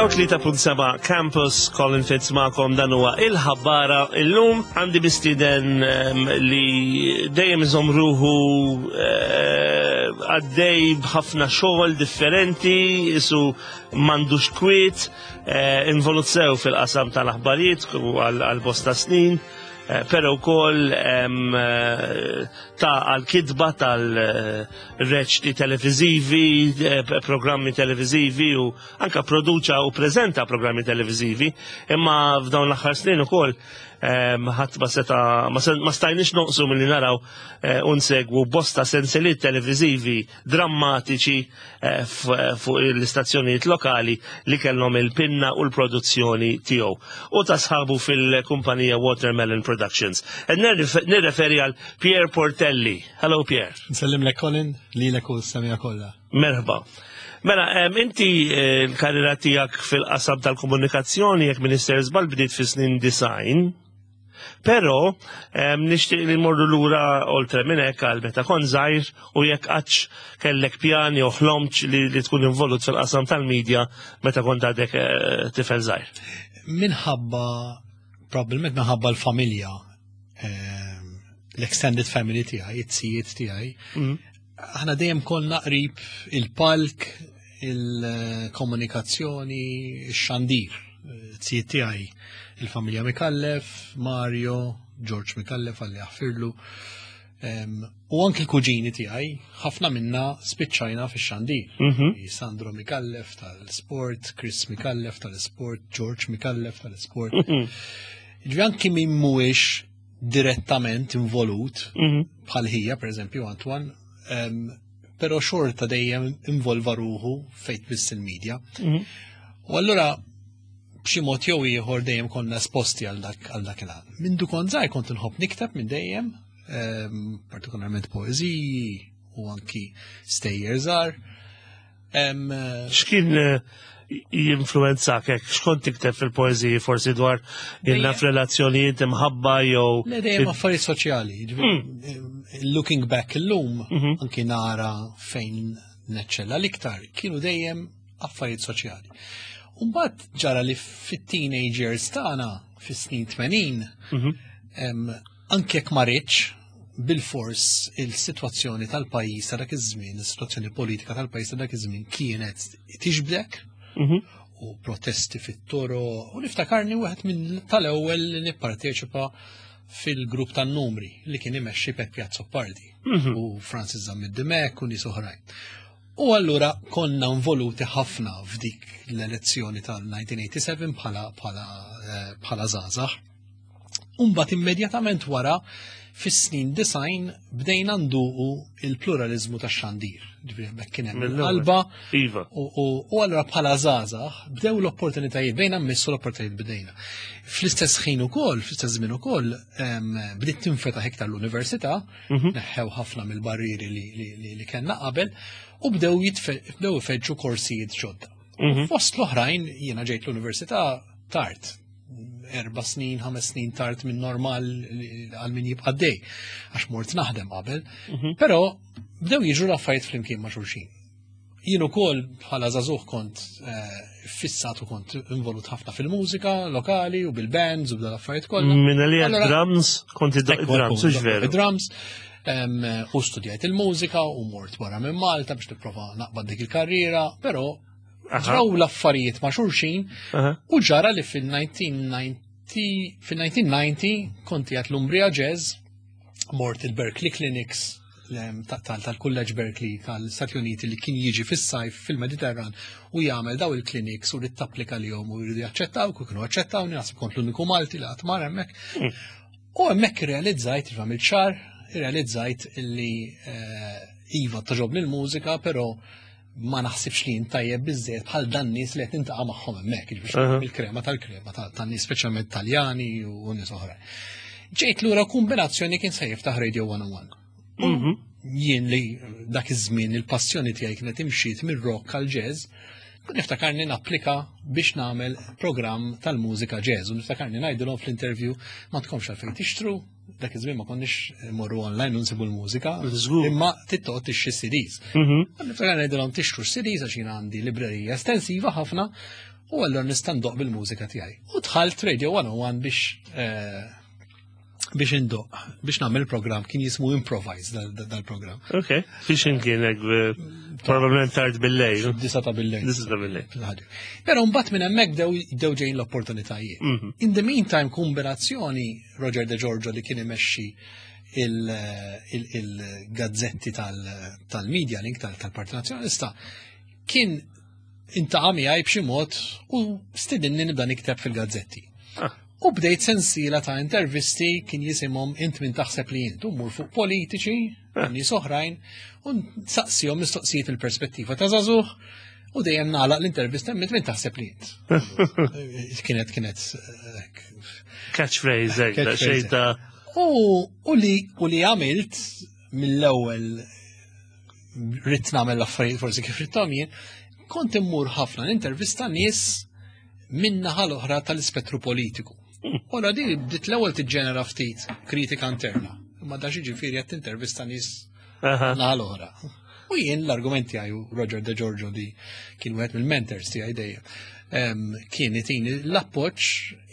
103.7 Campus, Colin Fitz magħkom dan huwa il-ħabbara illum għandi mistieden ehm, li dejjem iżomm ruħu eh, għaddej b'ħafna xogħol differenti, isu m'għandux kwiet, eh, involut sew fil-qasam tal-aħbarijiet għal bosta snin. Eh, pero wkoll eh, ta' għal-kitba tal-reċti televizivi, eh, programmi televizivi u anka produċa u prezenta programmi televizivi, imma f'dawn l-aħħar snin ukoll ħadd ma seta ma stajniex noqsu milli naraw unsegwu bosta senseliet televizivi drammatiċi eh, fuq l-istazzjonijiet lokali li kellhom il-pinna u l-produzzjoni tiegħu u ta' sħabu fil-kumpanija Watermelon Productions. E nirreferi għal Pierre Portelli. Hello Pierre. Nsellim lek Colin, li lek u s-semija kollha. Merħba. Mela, inti eh, l-karriera tiegħek fil-qasam tal-komunikazzjoni jekk Minister Żball bdiet fis-snin design, Però nixtieq li morru lura oltre minn hekk għal meta kont żgħir u jekk qattx kellek pjan jew ħlomtx li, li tkun involut fil-qasam tal-medja meta kont għadek eh, tifel żgħir. Minħabba probabbilment minħabba l-familja l-extended family tiegħi, it-sijiet tiegħi, mm. aħna dejjem konna qrib il-palk, il-komunikazzjoni, ix-xandir. Zijiet tiegħi il-familja Mikallef, Mario, George Mikallef għalli jaħfirlu. U anki l-kuġini tiegħi, ħafna minna spiċċajna fix-xandir. Mhm. Sandro Mikallef tal-sport, Chris Mikallef tal-sport, George Mikallef tal-sport. Mhm. Ġifieri anki min mhuwiex direttament involut, mhm. bħal ħija, per eżempju, Antoine, pero xorta dejjem involva ruħu fejt biss il-medja. Mhm. U allura b'xi mod jew ieħor dejjem konna esposti għal dak għal dak il-għan. Mindu kont żgħir kont inħobb nikteb minn dejjem, ehm, partikolarment poeżiji u anki stejjer żgħar. Ehm, X'kien eh, jinfluwenzak hekk x'kont tikteb fil-poeżiji forsi dwar jenna f'relazzjonijiet imħabba jew. Le dejjem affarijiet soċjali. Hmm. Looking back illum, mhm. anki nara fejn neċċella l-iktar, kienu dejjem affarijiet soċjali. Umbagħad ġara li fit-teenagers tagħna fis-snin 80, mhm. anke jekk ma ridx, bilfors il-sitwazzjoni tal-pajjiż ta' dak iż-żmien, is-sitwazzjoni politika tal-pajjiż ta' dak iż-żmien kienet tixbdek mhm. u protesti fit-toro u niftakarni wieħed minn tal-ewwel li nipparteċipa fil-grupp tan-numri li kien imexxi Peppi Azzopardi mhm. u Francis Zammit Dimek u nies oħrajn. U allura konna involuti ħafna f'dik l-elezzjoni tal-1987 bħala bħala eh, bħala żgħażagħ. Umbat immedjatament wara fis-snin design bdejna nduqu il-pluralizmu ta' xandir. Ġifieri hemmhekk kien hemm il-qalba. Iva. U allura bħala żgħażagħ bdew l-opportunitajiet bejna mmissu l-opportunitajiet bdejna. Fl-istess ħin ukoll, fl-istess żmien ukoll, bdiet tinfetaħ iktar l-università, mhm. neħħew ħafna mill-barrieri li kellna qabel u bdew bdew ifeġġu korsijiet ġodda. Mhm. Fost l-oħrajn jiena ġejt l-università tard, erba snin, ħames snin tard minn normal għal min jibqa' dej, għax mort naħdem qabel. Mhm. Però bdew jiġu l-affarijiet flimkien ma' xulxin. Jien ukoll bħala żagħżugħ kont eh, fissat u kont involut ħafna fil-mużika lokali u bil-bands u b'dal-affarijiet kollha. Minn li drums, kont id-drums, hux veru. Drums, u studjajt il-mużika u mort barra minn Malta biex nipprova naqbad dik il-karriera, però ġraw l-affarijiet ma' xulxin u ġara li fil-1990 fil-1990 kont jgħat l-Umbria Jazz mort il-Berkeley Clinics tal-Kulleġġ Berkeley tal-Stati Uniti li kien jiġi fis-sajf fil-Mediterran u jagħmel daw il-clinics u li tapplika lihom u jridu jaċċettaw, u kienu aċċettaw, naħseb kont l-uniku Malti li qatt mar hemmhekk. Hmm. U hemmhekk irrealizzajt, għamilt xahar, irrealizzajt li eh, iva toġobni l-mużika, però ma naħsibx li jintajjeb biżżejjed bħal dan nies li qed nintaqa' magħhom hemmhekk, jiġifieri il-krema tal-krema tan-nies speċjalment Taljani u nies oħra. Ġejt lura kombinazzjoni kien se jiftaħ Radio 101. Mhm. Jien li dak iż-żmien il-passjoni tiegħi kienet imxiet mir-rock għal jazz, niftakarni napplika biex nagħmel programm tal-mużika jazz u niftakarni ngħidilhom fl-interview ma tkomx għalfejn tixtru, dak iż-żmien ma konniex morru online u nsibu l-mużika, imma tittoqgħod tixtri CDs. Mhm. Niftakar ngħidilhom tixtru CDs għax jien għandi librerija estensiva ħafna. U allura nista' ndoqq bil-mużika tiegħi. U dħalt Radio 101 biex eh, biex indoq, biex nagħmel programm kien jismu Improvise dal-programm. Ok, fiex kien hekk eh, probabbilment tard bil-lejl. Disa ta' bil-lejl. Disa ta' bil-lejl. Però mbagħad minn hemmhekk bdew ġejjin l-opportunitajiet. Mhm. In the meantime kombinazzjoni Roger De Giorgio li kien imexxi il-gazzetti tal-media link tal-Partit Nazzjonalista kien intaqa' miegħi b'xi mod u stidinni nibda nikteb fil-gazzetti. Ah. U bdejt sensiela ta' intervisti kien jisimhom int min taħseb li int, u mmur fuq politiċi, ah. nies oħrajn, u nsaqsihom mistoqsijiet il-perspettiva ta' żagħżugħ u dejjem nagħlaq l-intervista int min taħseb li int. Kienet kienet eh, catchphrase, eh, xejn ta' U li u li għamilt mill-ewwel rrid nagħmel l-affarijiet forsi kif ridthom jien, kont immur ħafna nintervista nies minn naħa l-oħra tal-ispettru politiku. Ora di bdiet l-ewwel tiġġenera ftit kritika interna. Imma da ġifieri qed tintervista nies naħa l-oħra. U jien l-argument tiegħi Roger De Giorgio li kien wieħed mill-mentors tiegħi dejjem kien itini l-appoġġ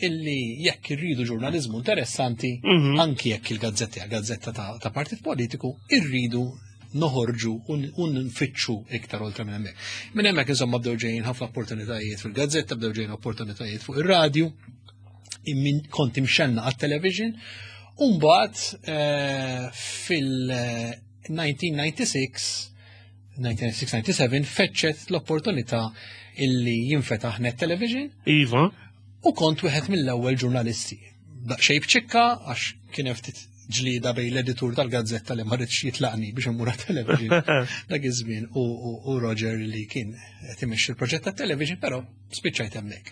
illi jekk irridu ġurnaliżmu interessanti, mhm. anki jekk il-gazzetti gazzetta ta' partit politiku, irridu noħorġu u nfittxu iktar oltre minn hemmhekk. Minn hemmhekk insomma bdew ġejjin ħafna opportunitajiet fil-gazzetta, bdew ġejjin opportunitajiet fuq ir-radju, kont imxenna għat-television, u mbagħad eh, fil-1996 1996-97 feċċet l-opportunità illi jinfetaħ net television. Iva. U kont wieħed mill-ewwel ġurnalisti. Daqsxejn b'ċikka għax kien ftit ġlida bej l-editur tal-gazzetta li ma ridx jitlaqni biex immur television dak iż-żmien u Roger li kien qed imexxi l-proġett tat-television, però spiċċajt hemmhekk.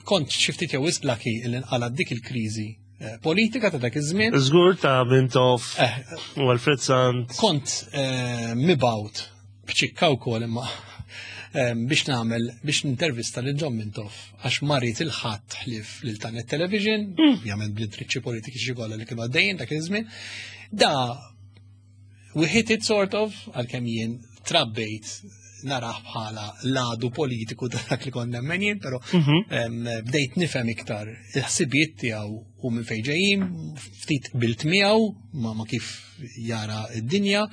Kont xi ftit jew wisq laki li nqalgħet dik il-kriżi eh, politika ta' dak iż-żmien. Żgur ta' Mintoff eh, u Alfred Sant. Kont eh, mibgħut b'ċikka wkoll imma biex nagħmel biex nintervista lil John Mintoff għax marit il-ħadd ħlief lil Tanet Television, hmm. ovvjament bl-intriċċi politiċi kollha li kienu għaddejjin dak iż-żmien. Da we hit it sort of għalkemm jien trabbejt naraħ bħala l-għadu politiku ta' dak li konna nemmen jien, però mhm. bdejt nifhem iktar il-ħsibijiet tiegħu u minn fejn ġejjin, ftit bilt miegħu ma, ma kif jara d-dinja,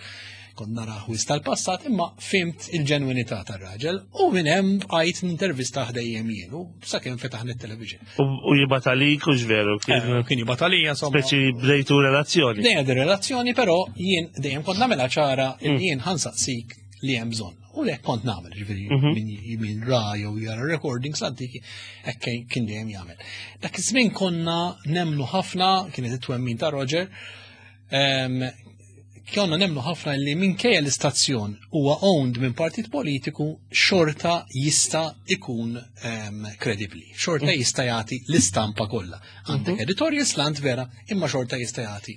kont nara ħwis tal-passat, imma fimt il-ġenwinità tar-raġel u minn hemm bqajt nintervista ħdejjem jien u sakemm fetaħ television. U jibgħat għalik u x'veru kien. Eh, kien jibgħat għalija insomma. Speċi bdejtu relazzjoni. Dejjem relazzjoni, però jien dejjem kont nagħmilha ċara li mm. jien ħansaqsik li hemm bżonn. U lek kont nagħmel, ġifieri mhm. min min ra jew jara recordings antiki, hekk kien dejjem jagħmel. Dak iż-żmien konna nemnu ħafna, kienet it-twemmin ta' Roger, konna nemnu ħafna li minkejja l-istazzjon huwa owned minn partit politiku xorta jista' ikun kredibbli, xorta mm. jista' jagħti l-istampa kollha. Għandek mhm. editorial slant vera, imma xorta jista' jagħti.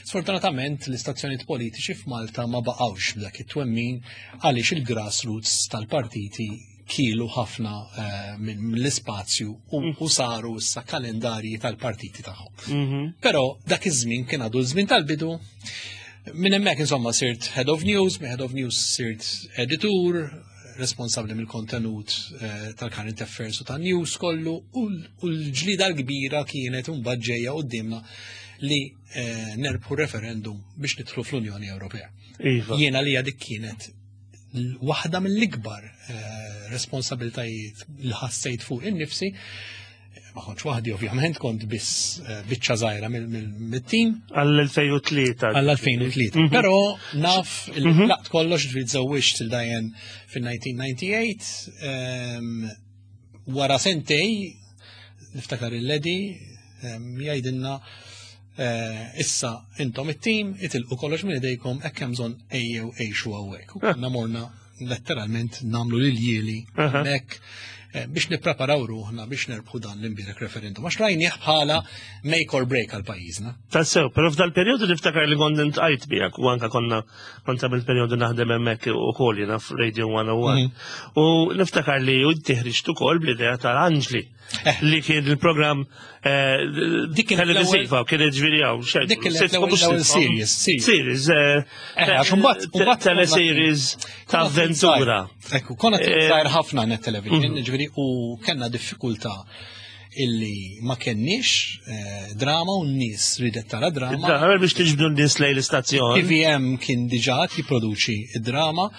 Sfortunatament l-istazzjonijiet politiċi f'Malta ma baqgħux b'dak it-twemmin għaliex il-grassroots tal-partiti kielu ħafna eh, mill-ispazju u mm. saru issa kalendarji tal-partiti tagħhom. Mhm. Però dak iż-żmien kien għadu żmien tal-bidu. Minn hemmhekk insomma sirt head of news, minn head of news sirt editur, responsabbli mill-kontenut eh, tal-current affairs u tan-news kollu u l-ġlida l-kbira kienet imbagħad ġejja qudiemna li eh, nerbħu referendum biex nidħlu fl-Unjoni Ewropea. Iva. Jiena li dik kienet waħda mill-ikbar eh, responsabiltajiet li ħassejt fuq innifsi ma kontx waħdi ovvjament, kont biss eh, biċċa żgħira mit-tim. Għall-2003. Għall-2003. Mhm. Però naf mhm. laqt kollox ġifieri żewwiġt il Diane fil-1998 ehm, wara sentej niftakar il-ledi ehm, jgħidilna eh, issa intom it-tim itilqu kollox minn idejkom hekk hemm bżonn ejjew għixu hawnhekk. U konna morna letteralment namlu l-jieli hekk eh, biex nippreparaw ruħna biex nerbħu dan l-imbierek referendum. Għax rajnieh bħala make or break għal pajjiżna. Tassew, però f'dal-perjodu niftakar li kont intqajt miegħek u anka konna kont għamil perjodu naħdem hemmhekk ukoll jiena f'Radio 101. Mhm. U niftakar li inti ħriġt ukoll bl-idea tal-Anġli. Eh. Li kien il-programm eh, dik televisiva kien ġviri għaw. Dik l-ewwel series. Series. Eh, teleseries ta' avventura. Ekku, konna żgħir ħafna net television, mhm. ġifieri Ġifieri u kellna diffikultà illi ma kenniex eh, drama u n-nies ridet tara drama. Drama biex tiġbdu n-nies lejn l-istazzjon. TVM kien diġà jipproduċi id-drama,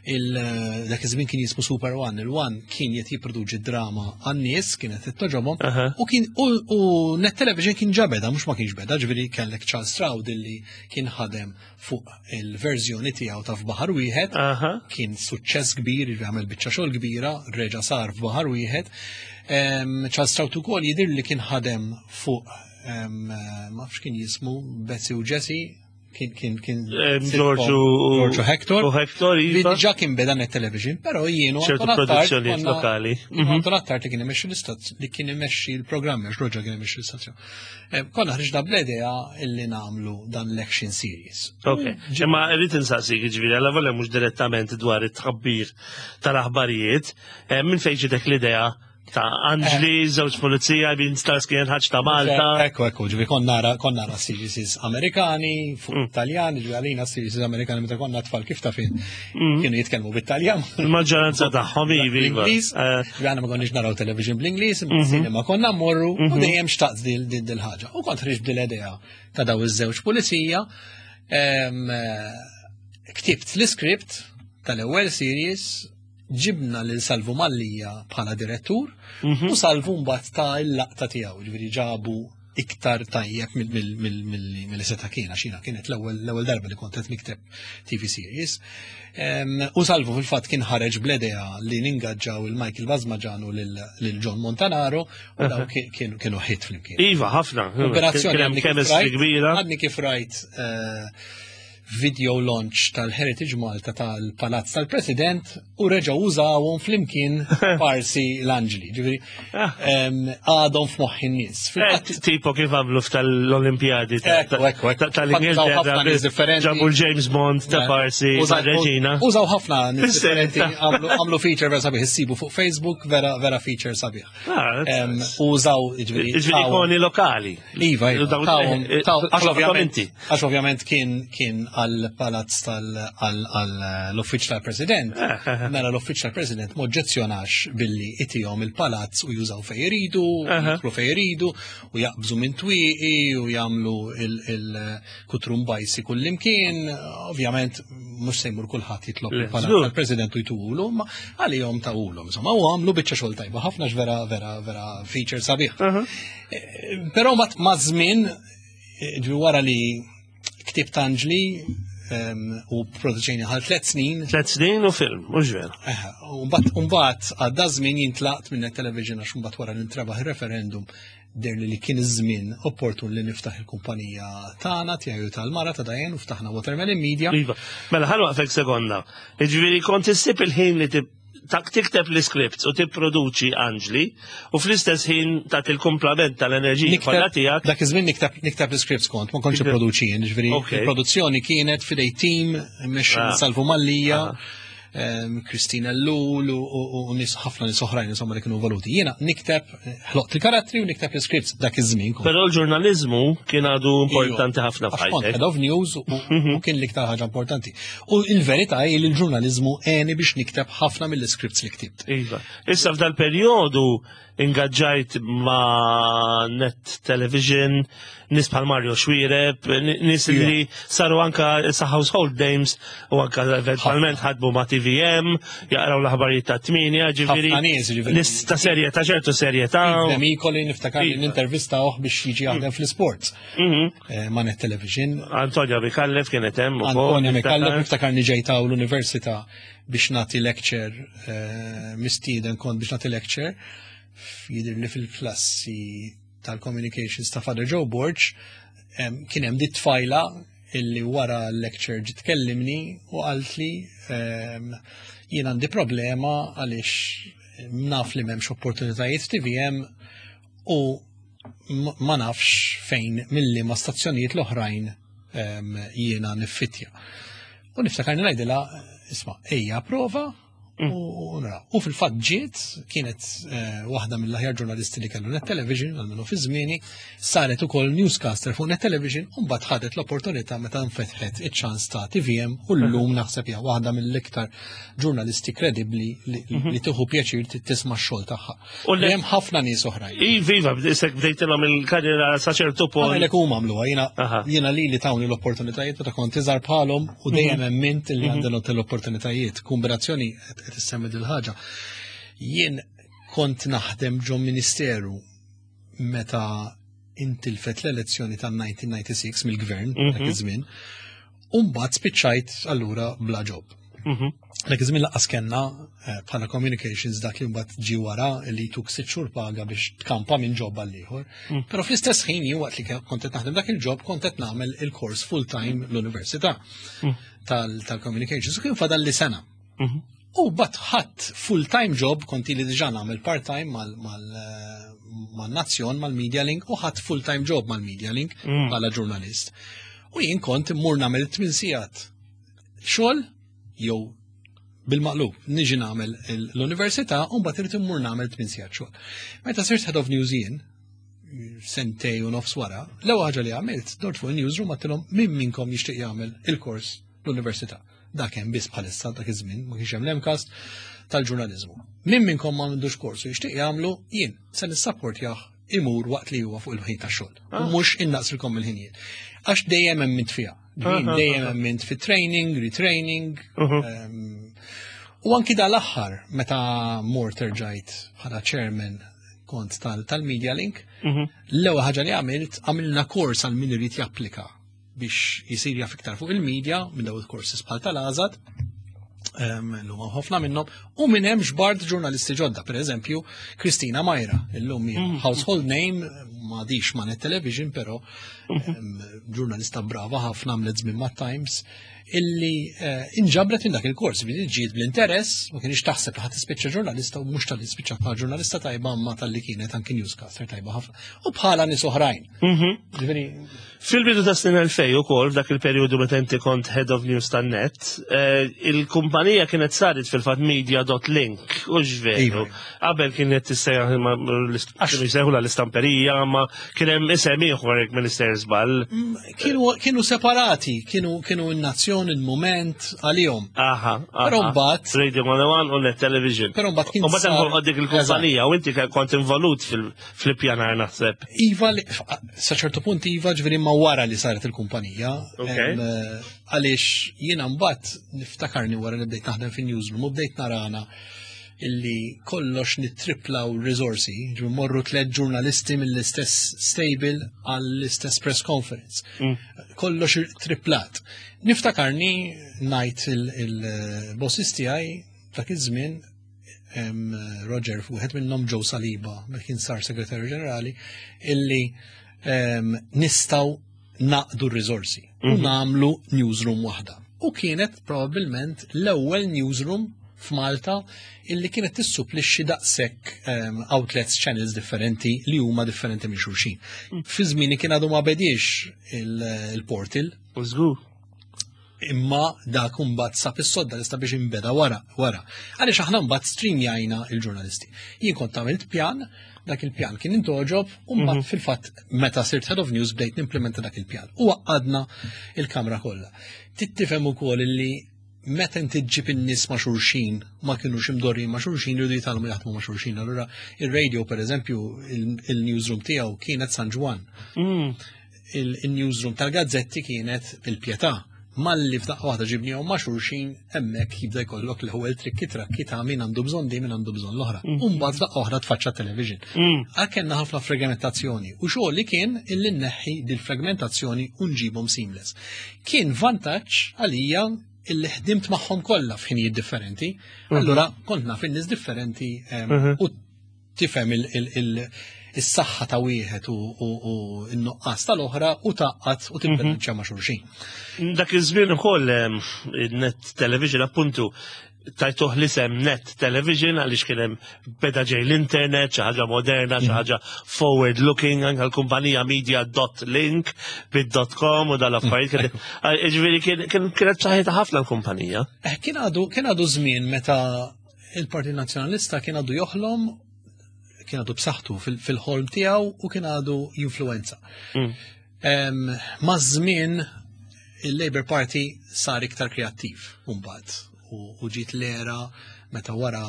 eh, dak iż-żmien kien jismu Super One, il-One kien qed jipproduċi drama għan-nies kienet qed toġobhom u kien u Net Television kien ġa beda mhux ma kienx beda, ġifieri kellek Charles Stroud illi kien ħadem fuq il-verżjoni tiegħu ta' f'baħar wieħed, kien suċċess kbir, għamel biċċa xogħol kbira, reġa' sar f'baħar wieħed. Charles Stroud ukoll jidher li kien ħadem fuq ma nafx kien jismu Betsy u Jesse, kien kien kien Giorgio Giorgio Hector. U Hector iva. Diġà kien beda net television, però jienu ċertu produzzjonijiet lokali. Mhm. Anton Attard li kien imexxi l-istazzjon, li kien imexxi l-programm, għax Roger kien imexxi l-istazzjon. Eh, konna ħriġna bl-idea illi nagħmlu dan l-action series. Ok, imma rrid insaqsik ġifieri għal volja mhux direttament dwar it-tħabbir tal-aħbarijiet, eh, minn fejn ġitek l-idea ta' Anġli, eh. żewġ pulizija, bin stars kien ħaġ ta' Malta. Ekku, ekku, ġifi konna nara, konna nara series Amerikani, fuq mm. Taljan, ġifi għalina series Amerikani meta konna tfal kif ta' fin mm. kienu jitkellmu bit-Taljan. Il-maġġoranza tagħhom ivi. Iva. Bl-Ingliż, eh. ġifi għana ma konniex naraw television bl-Ingliż, mm-hmm. cinema konna mmorru u mm-hmm. dejjem xtaqt dil ħaġa. U kont ħriġ dil-idea ta' daw iż-żewġ pulizija, eh, ktibt l-iskript tal-ewwel series ġibna lil Salvu Mallia bħala direttur mhm. u Salvu mbagħad ta' il-laqta tiegħu, ġifieri ġabu iktar tajjeb mill-li seta' kien għax jiena kienet l-ewwel darba li kont qed nikteb TV series. U Salvu fil-fatt kien ħareġ bl-idea li ningaġġaw il-Michael Bazmaġan u lil John Montanaro u daw kienu ħit flimkien. Iva, ħafna. Operazzjoni kbira. Għadni kif rajt eh, video launch tal-Heritage Malta tal-Palazz tal-President u reġgħu użawhom flimkien parsi l-Anġli. Ġifieri ah. għadhom f'moħħ in-nies. Eh, tipo kif għamlu f'tal-Olimpjadi tal-Ingilterra. Ġabu l-James Bond ta' eh, parsi reġina. Użaw ħafna nies differenti għamlu feature vera sabiħ issibu fuq Facebook vera vera feature sabiħ. Ah, użaw ġifieri ikoni lokali. Iva, iva. Eh, għax ovvjament kien kien għal palazz tal-uffiċ tal-President, eh, eh, mela l-uffiċ tal-President moġġezzjonax billi itihom il-palazz u jużaw fej iridu, jidħlu fej iridu, u jaqbżu minn twieqi u jagħmlu il-kutrum bajsi kullimkien, ovvjament mhux se jmur kulħadd jitlob il-palazz tal-President u jtuhulu, ma għalihom tawulhom. Insomma, u għamlu biċċa xogħol tajba ħafna vera vera vera feature sabiħ. Però ma' żmien eh, ġi wara li ktib Anġli u produċejni għal tlet snin. Tlet snin u film, mhux vera. Mbagħad għadda żmien jintlaqt minn television għax mbagħad wara li ntrebaħ ir-referendum der li kien iż-żmien opportun li niftaħ il-kumpanija tagħna tiegħi tal-mara ta' Dajen u ftaħna Watermelon Media. Iva, mela ħallu waqfek sekonda. Jiġifieri kont issib il-ħin li tak tikteb l-scripts u tipproduċi Anġli u fl-istess ħin tagħti l-kumplament tal-enerġija kollha tiegħek. Dak iż-żmien nikteb nikteb l-scripts kont, ma kontx ipproduċi jien, ġifieri il-produzzjoni kienet fidej team mexxi ah. Salvu Mallija. Ah. Kristina Lul u nis ħafna nis oħrajn insomma li kienu voluti. Jiena nikteb ħloqt il-karattri u nikteb l-scripts dak iż-żmien. Però l-ġurnaliżmu kien għadu importanti ħafna f'ħajtek. Head of news u mhm. kien l-iktar ħaġa importanti. U il-verità hi li l-ġurnaliżmu għeni biex nikteb ħafna mill-scripts li ktibt. Iva. Issa f'dal-perjodu ingaġġajt ma' Net Television, nis bħal Mario Xwireb, nis iva. li saru anka sa household names u anka eventualment ħadmu ma' TVM, jaqraw l-aħbarijiet ta' tminja, ġifieri. Nis ta' serjetà, ċertu serjetà. Mikoli niftakar li nintervista biex jiġi jaħdem fl-sports. Mhm. Eh, ma' Net Television. Antonio Mikallef kienet hemm ukoll. Antonio Mikallef niftakar ġejta l-università biex nagħti lecture eh, mistieden kont biex nagħti lecture jidher li fil-klassi tal-communications ta' Father Joe Borg kien hemm dit tfajla illi wara l-lecture ġiet tkellimni u qaltli jien għandi problema għaliex naf li m'hemmx opportunitajiet TVM u ma nafx fejn milli ma stazzjonijiet l-oħrajn ehm, jiena niffitja. U niftakar ngħidilha, isma' ejja prova U naraw. U fil-fatt ġiet kienet waħda mill-aħjar ġurnalisti li kellu Net Television, għalmenu fi żmieni, saret ukoll newscaster fuq Net Television u mbagħad ħadet l-opportunità meta nfetħet iċ-ċans ta' TVM u llum naħseb hija waħda mill-iktar ġurnalisti kredibbli li mhm. tieħu pjaċir tisma' x-xogħol tagħha. U hemm ħafna nies oħrajn. Iva, isek bdejtilhom il-karriera sa ċertu punt. Għalhekk huma għamluha, jiena jiena li tawni l-opportunitajiet meta kont iżgħar bħalhom u mhm. dejjem emmint li mhm. għandhom l-opportunitajiet. Kombinazzjoni qed issemmi dil-ħaġa. Jien kont naħdem ġo ministeru meta intilfet l-elezzjoni tan-1996 mill-gvern dak mhm. iż-żmien, u mbagħad spiċċajt allura bla ġob. Mhm. Dak iż-żmien laqas kellna eh, bħala communications dak li mbagħad ġi wara li tuk sitt xhur paga biex tkampa minn ġob għal ieħor. Mm. Però fl-istess ħin jien waqt li kont qed naħdem dak il-ġob kont qed nagħmel il-kors full time l-università tal-communications u kien fadal li sena. Mhm. U bat ħadd full-time job, konti li diġà nagħmel part-time mal-nazzjon, mal-Media Link, u ħadd full-time job mal-Media Link mm. bħala ġurnalist. U jien kont immur nagħmel tmien sigħat xogħol jew bil-maqlub, niġi nagħmel l-università u mbagħad irid immur nagħmel tmien sigħat xogħol. Meta sirt head of news jien, sentej u nofs wara, l-ewwel ħaġa li għamilt, dort fuq il-newsroom għattilhom min minnkom jixtieq jagħmel il-kors l-università. Dak hemm biss bħalissa dak iż-żmien, ma kienx hemm l-MCAST tal-ġurnaliżmu. Min minnkom ma għandux kors u jixtieq jagħmlu, jien se nissapportjah imur waqt li huwa fuq il-ħin tax-xogħol. U ah. mhux innaqsilkom il-ħinijiet. Għax dejjem hemm mint fiha. Ah, ah, dejjem hemm mint fit-training, retraining. Uh-huh. Ehm, u anki dal-aħħar meta mort erġajt bħala chairman kont tal-Media Link, mhm. l-ewwel ħaġa li għamilt għamilna kors għal min irid japplika biex jisir jaf iktar fuq il-media minn daw il-courses bħal tal-Azad, l-lum ħafna minnhom, u minn hemm xbart ġurnalisti ġodda, per eżempju, Kristina Majra, illum hija mm. household name, m'għadix ma' Net Television, però mm-hmm. ġurnalista brava ħafna għamlet żmien ma' Times, illi eh, inġabret minn dak il-kors, billi ġiet bl-interess, ma kienx taħseb li ħadd tispiċċa ġurnalista u mhux tal-li spiċċa bħala ġurnalista tajba ma tal-li kienet anki newscaster tajba ħafna. U bħala nies oħrajn. Mhm. Ġifieri Fil-bidu ta' snin 2000 ukoll f'dak il-perjodu meta inti kont head of news tan-net, eh, il-kumpanija kienet saret fil-fatt media.link u veru. Iva. Qabel kienet tissejjaħ kienu jsejħu l-istamperija, ma kien hemm isem ieħor jekk Minister żball. Mm, kienu separati, kienu kienu n-nazzjon, il-mument għalihom. Aha. Però mbagħad Radio 101 u Net Television. Però mbagħad kien. U mbagħad dik il-kumpanija u inti kont involut fil fl-ippjanar naħseb. Iva, sa ċertu punt iva ġveri ma wara li saret il-kumpanija. Eh, għaliex jiena mbagħad niftakarni wara li bdejt naħdem fin-newsroom u bdejt narana illi kollox nittriplaw risorsi, ġi morru tliet ġurnalisti mill-istess stable għall-istess press conference. Mm. Kollox triplat. Niftakarni najt il-bossis tiegħi dak iż-żmien Roger, wieħed minnhom Joe Saliba, meta kien sar segretarju ġenerali, illi nistgħu naqdu r-riżorsi u mhm. nagħmlu newsroom waħda. U kienet probabbilment l-ewwel newsroom f'Malta illi kienet tissupplixxi daqshekk outlets channels differenti li huma differenti minn xulxin. Mm. Fi żmieni kien għadu ma bediex il-portal. Żgur. Imma dak imbagħad sab is-sodda lista biex inbeda wara wara. Għaliex aħna mbagħad streamjajna il-ġurnalisti. Jien kont għamilt pjan, dak il-pjan kien intoġob, u mbagħad mhm. fil-fatt meta sirt head of news bdejt nimplementa dak il-pjan. U għadna il-kamra kollha. Tittifhem ukoll li meta inti ġġib in-nies ma' xulxin, ma kinux imdorrin ma' xulxin, jridu jitgħallmu jaħdmu ma' xulxin. Allura ir-radio pereżempju il-newsroom tiegħu kienet San Ġwann. Mm. Il-newsroom tal-gazzetti kienet il-Pietà. Malli f'daqqa waħda ġibnihom ma' xulxin hemmhekk jibda jkollok l-ewwel trikki trakki ta' min għandu bżonn di min għandu bżonn l-oħra. Mm. U mbagħad f'daqqa oħra tfaċċa television. Mm. Għal kellna ħafna fragmentazzjoni u xogħol li kien illi nneħħi dil-fragmentazzjoni u nġibhom seamless. Kien vantaġġ għalija illi ħdimt magħhom kollha f'ħinijiet differenti. Mm-hmm. Allura kont naf in-nies differenti mm-hmm. u tifhem is-saħħa ta' wieħed u n-nuqqas tal-oħra u taqqat u tibbilanċja mhm. ma' xulxin. Dak iż-żmien ukoll net television appuntu tajtuh l-isem net television għaliex kien hemm beda ġej l-internet, xi ħaġa moderna, xi mhm. ħaġa forward looking, anke l-kumpanija media dot link bid-dot com u dal-affarijiet. Mhm. Ġifieri kienet saħħitha ħafna l-kumpanija. Eh, kien għadu żmien meta il-Partit Nazzjonalista kien għadu joħlom, kien għadu b'saħħtu fil-ħolm tiegħu u kien għadu jinfluenza. Ma' żmien il-Labour Party sar iktar kreattiv mbagħad u ġiet l-era meta wara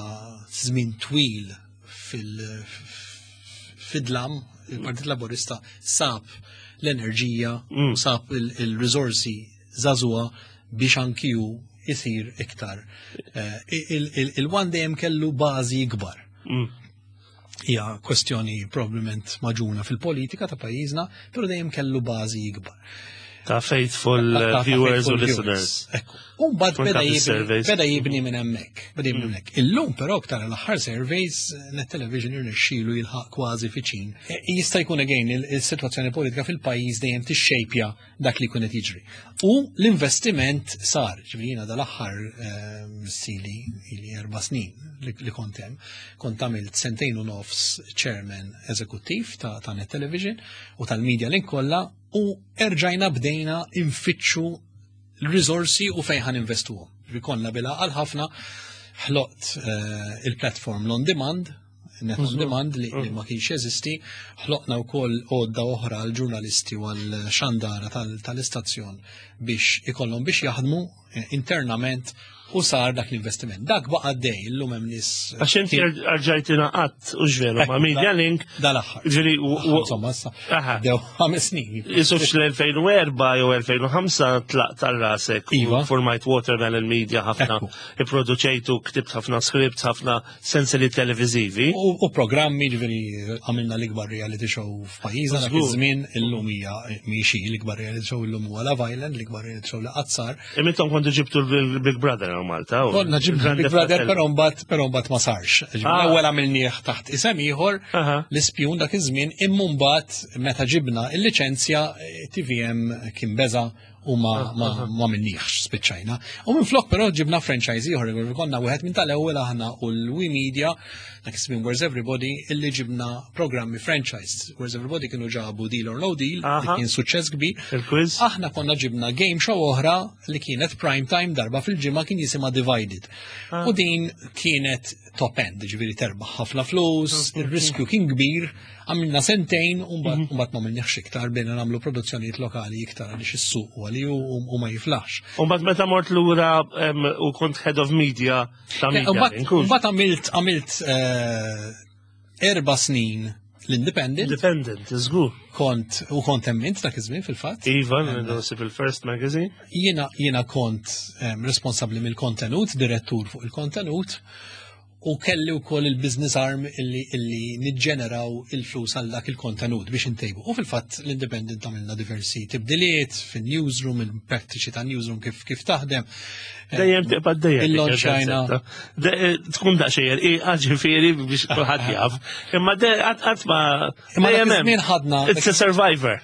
żmien twil fil-fidlam il-Partit Laburista sab l-enerġija u sab il-riżorsi żagħżugħa biex anki hu isir iktar. Il-One dejjem kellu bażi ikbar. Hija kwestjoni probabbilment maġuna fil-politika ta' pajjiżna, però dejjem kellu bażi ikbar. Ta' faithful viewers u listeners. U mbagħad beda jibni minn hemmhekk. Beda jibni minn hemmhekk. Illum però aktar l-aħħar surveys Net Television irnexxielu jilħaq kważi fiċin. Jista' jkun again il-sitwazzjoni politika fil-pajjiż dejjem tixxejpja dak li jkun qed jiġri. U l-investiment sar, ġifieri jiena dal-aħħar sili ili 4 snin li kont hemm, kont għamilt sentejn u nofs chairman eżekuttiv ta' Net Television u tal-Media Link kollha u erġajna bdejna infittxu l-riżorsi u fejn ħan investuhom. Konna bila għal ħafna ħloqt il-platform l-on demand, net on demand li ma kienx jeżisti, ħloqna wkoll għodda oħra għal ġurnalisti u għal xandara tal-istazzjon biex ikollhom biex jaħdmu internament u sar dak l-investiment. Dak baqa' dej, illum hemm nies. Għax inti rġajt ingħaqadt u x'veru ma' Media Link. Dal-aħħar. Ġifieri u Insomma, issa dew 5 snin. Isu fl-2004 jew 2005 tlaqt għal rasek u Iva. formajt Watermelon Media ħafna, ipproduċejtu, ktibt ħafna scripts, ħafna sensili televizivi. U programmi, ġifieri għamilna l-ikbar reality show f'pajjiżna dak iż-żmien, illum hija miexi l-ikbar reality show illum huwa Love Island, l-ikbar reality show li qatt sar. Imintom kontu ġibtu l-Big Brother għal Malta. U Konna ġibna Grande Big Brother, Fratello. però mbagħad ma sarx. Ġifieri l-ewwel għamilnieh taħt isem ieħor, l-ispjun dak iż-żmien, imma mbagħad meta ġibna il-liċenzja TVM kien beża u ma minniħx spiċċajna. U minn flok però ġibna franchise ieħor, ġifieri konna wieħed minn tal-ewwel aħna u l-We Media, dak iż-żmien Where's Everybody, illi ġibna programmi franchise. Where's Everybody kienu ġabu Deal or No Deal, li kien suċċess kbir. Il-quiz. Aħna konna ġibna game show oħra li kienet prime time darba fil-ġimgħa kien jisimha Divided. U din kienet top end, ġifieri terbaħ ħafna flus, ir-riskju kien kbir, għamilna sentejn u mbagħad ma għamilniex iktar, bdejna nagħmlu produzzjonijiet lokali iktar għaliex is-suq huwa li u ma jiflaħx. U mbagħad meta mort lura u kont head of media ta' media, inkun. Mbagħad għamilt 4 snin l-Independent. Independent, żgur. Kont, u kont hemm int dak iż-żmien fil-fatt. Iva, naħseb il-First Magazine. Jiena kont responsabbli mill-kontenut, direttur fuq il-kontenut, u kelli wkoll il-business arm illi niġġeneraw il-flus għal dak il-kontenut biex intejbu. U fil-fatt l-Independent għamilna diversi tibdiliet fin-newsroom, il-prattiċi ta' newsroom kif taħdem. Dejjem tibqa' dejjem dik Il-launchajna. il-gazzetta. Tkun daqsxejn irqiqa ġifieri biex kulħadd jaf. Imma qatt ma Imma dak dejjem hemm. iż-żmien ħadna It's a survivor.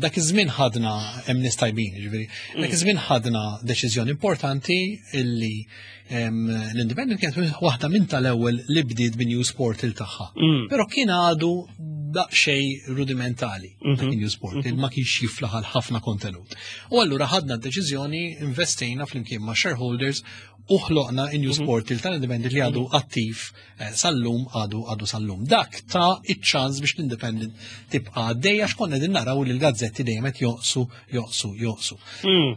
Dak iż-żmien ħadna hemm nies tajbin, ġifieri. Dak iż-żmien ħadna deċiżjoni importanti illi l-Independent kienet waħda minn tal-ewwel li bdiet bi news portal tagħha. Però kien għadu daqsxejn rudimentali dak il-news portal, ma kienx jiflaħ għal ħafna kontenut. U allura ħadna d-deċiżjoni, investejna flimkien ma' shareholders u ħloqna in-news portal tal-Independent li għadu attiv sal-lum, għadu sal-lum. Dak ta' iċ-ċans biex l-Independent tibqa' għaddejja għax konna din naraw li l-gazzetti dejjem qed joqsu, joqsu, joqsu.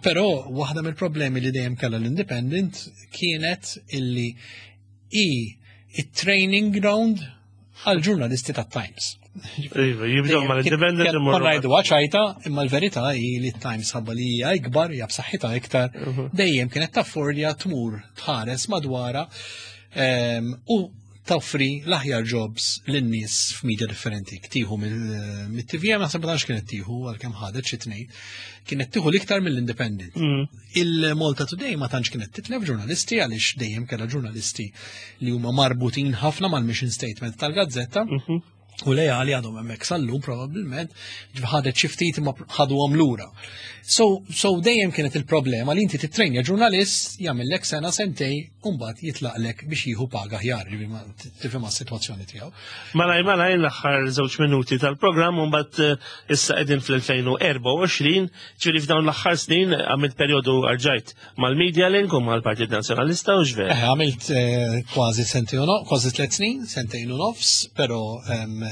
Però waħda mill-problemi li dejjem kellha l-Independent kienet illi i it-training ground għal ġurnalisti ta' Times. Iva, jibdew ma l-Independent imorru Konna ngħidu ċajta, imma l-verità hi li Times ħabba li hija ikbar, hija b'saħħitha iktar, dejjem kienet taffordja tmur tħares madwara u toffri l-aħjar jobs lin-nies f'media differenti. Tieħu mill-TVM, naħseb ma tantx kienet tieħu għalkemm ħadet xi tnejn, kienet tieħu l-iktar mill-Independent. Il-Malta Today ma tantx kienet titlef ġurnalisti għaliex dejjem kellha ġurnalisti li huma marbutin ħafna mal-mission statement tal-gazzetta. U lejali għadhom hemmhekk sal-lum probabbilment, ħadet xi ftit imma ħaduhom lura. So, so dejjem kienet il-problema li inti titrejnja ġurnalist jagħmellek sena sentej u mbagħad jitlaqlek biex jieħu paga aħjar, tifhem sitwazzjoni tiegħu. Malaj malaj l-aħħar żewġ minuti tal-programm u mbagħad eh, issa qegħdin fl-2024, ġifieri f'dawn l-aħħar snin għamilt perjodu arġajt mal-Media Link u mal-Partit Nazzjonalista u x'ver. Eh, għamilt eh, kważi sentejn u kważi tliet snin, sentejn u nofs, però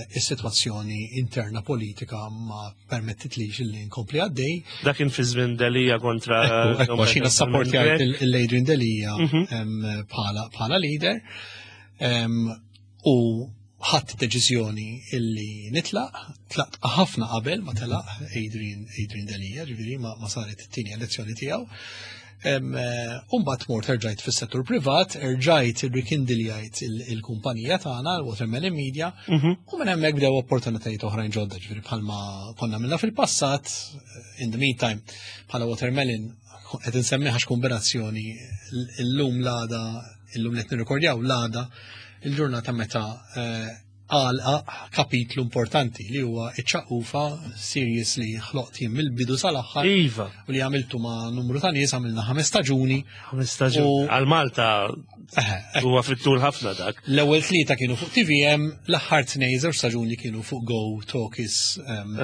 is-sitwazzjoni interna politika ma permettitlix li nkompli għaddej. Dak kien fi żmien Delija kontra. Ekku, għax jiena sapportjajt il-Adrian Delija mhm. bħala leader. U ħadd deċiżjoni illi nitlaq, tlaqt ħafna qabel ma telaq Adrian, Adrian Delia, ġifieri ma, ma saret it-tieni elezzjoni tiegħu. Eh, Umbat mort erġajt fis-settur privat, erġajt irrikindiljajt il-kumpanija tagħna, l-Watermelon Media, mhm. u minn hemmhekk bdew opportunitajiet oħrajn ġodda, ġifieri bħalma konna minna fil-passat, in the meantime, bħala Watermelon qed insemmiha kombinazzjoni l-lum l-għada illum li qed nirrekordjaw l-għada il-ġurnata meta eh, għalqa kapitlu importanti li huwa iċ-ċaqufa series li ħloqt jien mill-bidu sal-aħħar. Iva. U li għamiltu ma' numru ta' nies għamilna ħames staġuni. Ħames staġuni. Għal Malta huwa fit-tul ħafna dak. L-ewwel tlieta kienu fuq TVM, l-aħħar tnej żewġ staġuni kienu fuq Go Talkies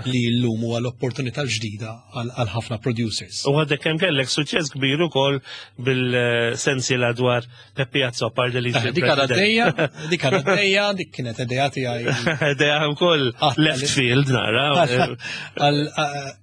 li llum huwa l-opportunità l-ġdida għal ħafna producers. U għadek kemm kellek suċċess kbir ukoll bil-sensiela dwar Peppi Azzopardi li eh, Dik għadha dejja, dik għadha dejja, dik kienet idea tiegħi. Idea wkoll left field nara.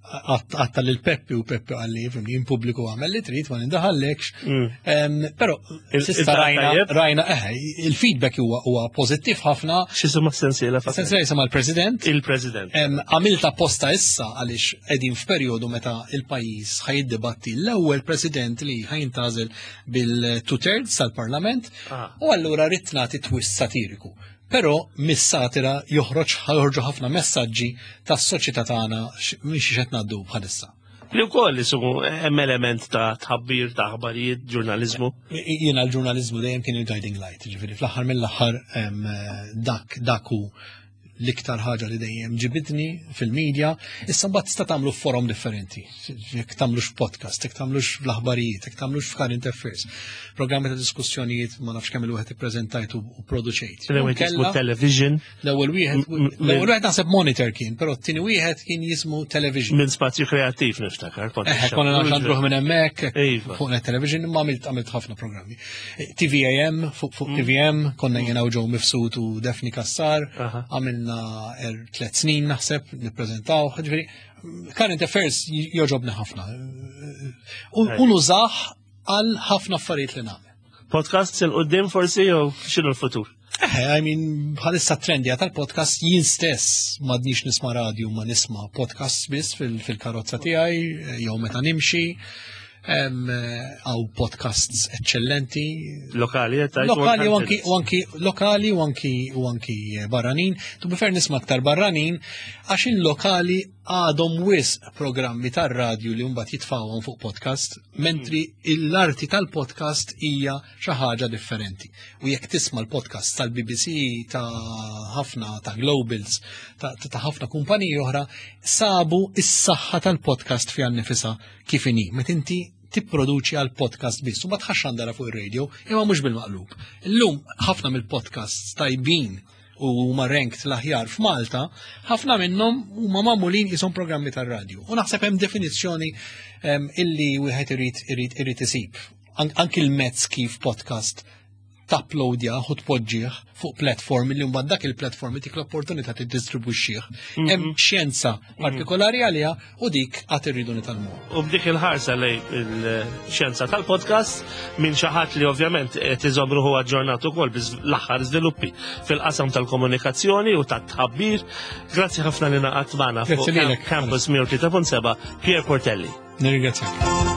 Għatta lil Peppi u Peppi għalli fimni in pubbliku għamel li trid ma nindaħallekx. Mm. Però sista rajna, rajna, eh, il-feedback huwa huwa pożittiv ħafna. X'isma sensiela? Sensiela jisimha l-President. Il-President. Għamilta posta issa għaliex qegħdin f'perjodu meta il-pajjiż ħajiddibatti l-ewwel President li ħajintażel bil-two thirds tal-Parlament ah. u allura rrid nagħti twist satiriku. Però mis-satira joħroġ ħorġu ħafna messaġġi tas-soċjetà tagħna minn xi qed ngħaddu bħalissa. Li wkoll isu hemm element ta' tħabbir ta' aħbarijiet, ġurnaliżmu. Jiena l-ġurnaliżmu dejjem kien il-guiding light, ġifieri fl-aħħar mill-aħħar dak dak hu l-iktar ħaġa li dejjem ġibidni fil-medja, issa mbagħad tista' tagħmlu f'forom differenti. Jekk tagħmlux podcast, jekk tagħmlux fl-aħbarijiet, jekk tagħmlux f'current affairs, programmi ta' diskussjonijiet ma nafx kemm il-wieħed ippreżentajt u produċejt. L-ewwel jismu television. L-ewwel wieħed l-ewwel wieħed naħseb monitor kien, però t-tieni wieħed kien jismu television. Minn spazju kreattiv niftakar. Eh, konna nagħmlu minn hemmhekk iva. fuq net television imma għamilt ħafna programmi. TVAM, fuq fuq mm. TVM, konna jena u ġew mifsud u Defni Kassar, għamilna er tlet snin naħseb, nippreżentaw, ġifieri, current affairs joġobni ħafna. U nużah għal ħafna affarijiet li nagħmel. Podcast il qudiem forsi jew x'inhu l-futur? Eh, I mean, bħalissa trendja tal-podcast jien stess madnix nisma radio ma nisma podcast biss fil-karozza tiegħi jew meta nimxi. Għaw podcasts eccellenti. Lokali, eh, Lokali u anki, u anki lokali u anki u anki barranin. Tu prefer nisma aktar barranin għax il-lokali għadhom wisq programmi tar-radju li mbagħad jitfawhom fuq podcast, mentri l-arti tal-podcast hija xi ħaġa differenti. U jekk tisma' l-podcast tal-BBC ta' ħafna ta' Globals ta' ħafna kumpaniji oħra, sabu is-saħħa tal-podcast fiha nnifisha kif inhi. Meta inti tipproduċi għal podcast biss u ma tħax għandara fuq ir-radio, imma mhux bil-maqlub. Illum ħafna mill-podcasts tajbin u huma ranked l-aħjar f'Malta, ħafna minnhom huma magħmulin qishom programmi tar-radju. U naħseb hemm definizzjoni ehm, illi wieħed irid irid irid isib. Anki l-mezz kif podcast tapplowdjah u tpoġġih fuq platform li mbagħad dak il-platform itik l-opportunità tiddistribwixxih. Mhm. Hemm xjenza mhm. partikolari għaliha u dik qatt irridu nitalmu. U b'dik il-ħarsa lej il-xjenza tal-podcast minn xi ħadd li ovvjament qed iżomm ruħu aġġornat ukoll l-aħħar żviluppi fil-qasam tal-komunikazzjoni u tat-tħabbir. Grazzi ħafna li naqgħod magħna fuq Campus 103.7 Pierre Portelli. Nirringrazzjak.